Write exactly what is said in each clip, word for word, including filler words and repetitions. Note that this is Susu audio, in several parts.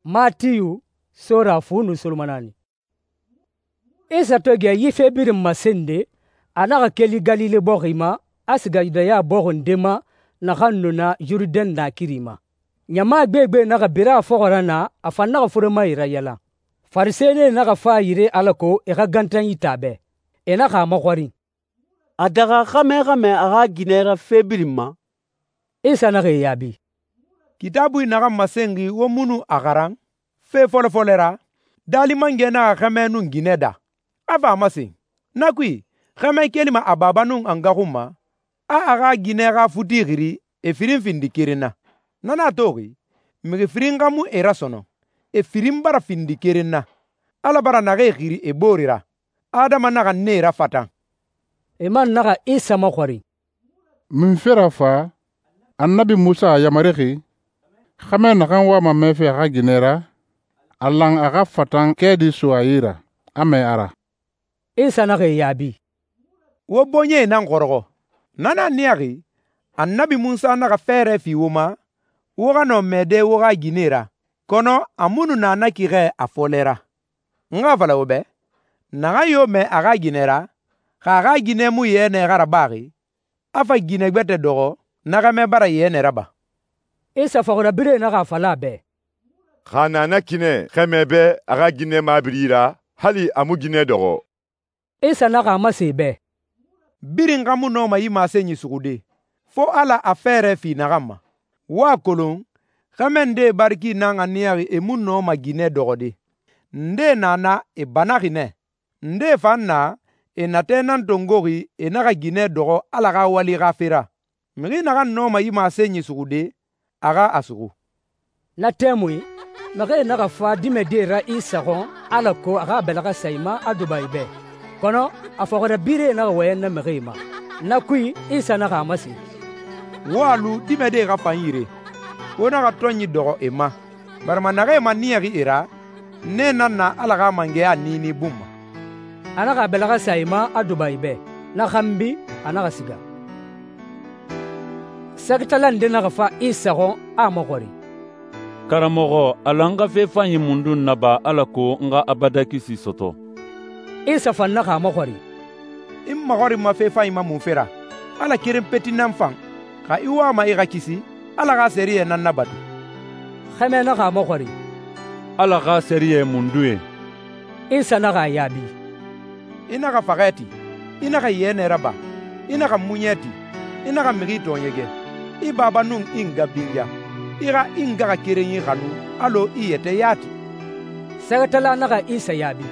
Matiyu, Sora fu nun solomanani. Isa to gɛ yi fe birin masende, a naxa keli Galile bɔxi ma, a siga Yudaya bɔxi nde ma naxan nu na Yurudɛn naakiri ma. Ɲama gbegbe naxa bira a fɔxɔ ra naa, a fan naxa furemae rayalan. Farisɛnie naxa fa a yire alako e xa gantanyi ta a bɛ. E naxa a maxɔrin, «A daxa xɛmɛ xɛmɛ a xa ginɛ ra fe birin ma?» Isa naxa e yaabi, «Kitaabui naxan masenxi wo mu nu a xaran? Fe fɔlɔ fɔlɔ ra, daali mangɛ naxa xɛmɛ nun ginɛ daa, a fa a masen, ‹Na kui, xɛmɛ kelima a baba nun a nga xun ma, a a xa ginɛ xa futi xiri e firin findi keren na. Na nan a toxi, mixi firin xa mu e rasɔnɔn, e firin bara findi keren na. Ala bara naxee xiri e boore ra, adama naxa nee rafatan.›» E man naxa Isa maxɔrin, «Munfe ra fa, Annabi Munsa a yamarixi, xɛmɛ naxan wama mɛfe a xa ginɛ ra, a lan a xa fatan kɛɛdi so a yi ra, a mɛɛ a ra?» Isa naxa e yaabi, «Wo bɔɲɛe nan xɔrɔxɔ. Na nan niyaxi, Annabi Munsa naxa fɛɛrɛ fi wo ma, wo xa nɔ mɛɛde wo xa ginɛe ra, kɔnɔ a mu nu na na ki xɛ a fɔlɛ ra. N xa a fala wo bɛ, naxan yo mɛɛ a xa ginɛ ra, xa a xa ginɛ mu yɛnɛ xa rabaxi, a fa ginɛ gbɛtɛ dɔxɔ, na xɛmɛ bara yɛnɛ raba.» Isa fɔxirabirɛe naxa a fala a bɛ, «Xa a na na kinɛ xɛmɛ bɛ a xa ginɛ mabiri ra, hali a mu ginɛ dɔxɔ.» Isa naxa a masen e bɛ, «Birin xa mu nɔma yi masenyi suxude, fo Ala a fɛɛrɛ fi naxan ma. Wo a kolon, xɛmɛ ndee bariki nan a niyaxi e mu nɔma ginɛ dɔxɔde. Ndee na na e banaxi nɛ, ndee fan na e natɛ nan tongoxi e naxa ginɛ dɔxɔ Ala xa wali xa fe ra. Mixi naxan nɔma yi masenyi suxude, a xa a suxu.» Na tɛmui, mixie naxa fa dimɛdie ra Isa xɔn alako a xa a bɛlɛxɛ sa e ma a duba e bɛ. Kɔnɔ a fɔxirabirɛe naxa wɔyɛn na mixie ma. Na kui, Isa naxa a masen, «Wo a lu dimɛdie xa fan yire, wo naxa tɔnyi dɔxɔ e ma, barima naxee maniyaxi e ra, nee nan na Ala xa mangɛya niini bun ma.» A naxa a bɛlɛxɛ sa e ma a duba e bɛ. Na xanbi, a naxa siga. Sɛgɛtala nde naxa fa Isa xɔn a a maxɔrin, «Karamɔxɔ, a lan n xa fe fanyi mundun naba alako n xa abada kisi sɔtɔ?» Isa fan naxa a maxɔrin, «I n maxɔrinma fe fanyi ma munfe ra? Ala keren peti nan fan, xa i wama i xa kisi, Ala xa sɛriyɛ nan nabatu.» Xɛmɛ naxa a maxɔrin, «Ala xa sɛriyɛ mundu ye?» Isa naxa a yaabi, «I naxa faxɛ ti, i naxa yɛnɛ raba, i naxa muɲɛ ti, i naxa mixi tɔɔɲɛgɛ, i baba nun i nga binja, i xa i ngaxakerenyi xanu alɔ i yɛtɛ ya ti.» Sɛgɛtala naxa Isa yaabi,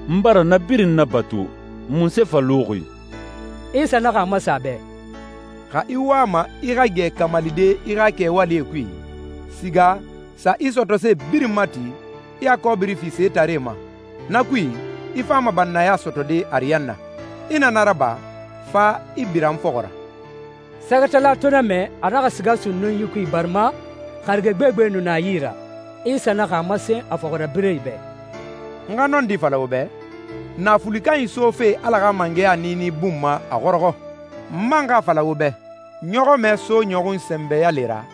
«N bara na birin nabatu, munse fa luxi?» Isa naxa a masa a bɛ, «Xa i wama i xa gɛ kamalide i xa kɛwalie kui, siga sa i sɔtɔse birin mati, i a kɔbiri fi setaree ma. Na kui, i fama bannaya sɔtɔde ariyanna. I na na raba, fa i bira n fɔxɔ ra.» Sɛgɛtala to na mɛ, a naxa siga sunnun yi kui barima xarige gbegbe nu na a yi ra. Isa naxa a masen a fɔxirabirɛe bɛ, «N xa nɔndi fala wo bɛ, naafuli kanyi sofe Ala xa mangɛya niini bun ma a xɔrɔxɔ. N man xa fala wo bɛ, ɲɔxɔmɛ so ɲɔxun sɛnbɛya le ra,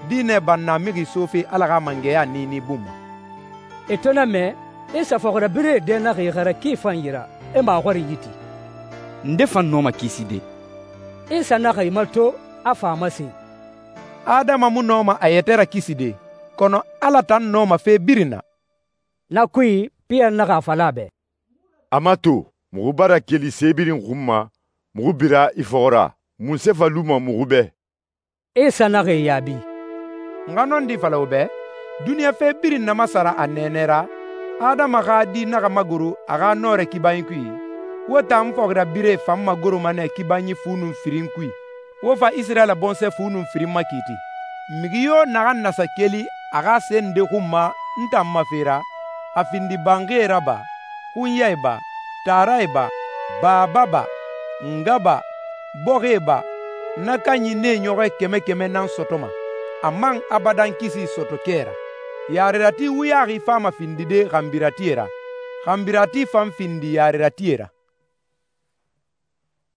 diinɛ banna mixi sofe Ala xa mangɛya niini bun ma.» E to na mɛ, Isa fɔxirabirɛe dɛ naxa i xɛrɛ ki fan yira, e maxɔrin yi ti, «Nde fan nɔma kiside?» Isa naxa i mato, a fa a masen, «Adama mu nɔma a yɛtɛ ra kiside, kɔnɔ Ala tan nɔma fe birin na.» Na kui, Piyɛri naxa a fala a bɛ, «A mato, muxu bara keli se birin xun ma, muxu bira i fɔxɔ ra. Munse fa luma muxu bɛ?» Isa naxa e yaabi, «N xa nɔndi fala wo bɛ, duniɲa fe birin namasara a nɛɛnɛ ra, Adama xa di naxa magoro a xa nɔrɛ kibanyi kui, wo tan fɔxirabirɛe fan magoroma nɛ kibanyi fu nun firin kui, wo fa Isirayila bɔnsɔɛ fu nun firin makiiti. Mixi yo naxan nasa keli a xa se nde xun ma n tan ma fe ra, a findi banxie ra ba, xunyae ba, taarae ba, baaba ba, nga ba, bɔxie ba, na kanyi nee ɲɔxɔɛ kɛmɛ kɛmɛ nan sɔtɔma, a man abadan kisi sɔtɔ kɛ ra. Yarerati wuyaxi fama findide xanbiratie ra, xanbirati fan findi yareratie ra.»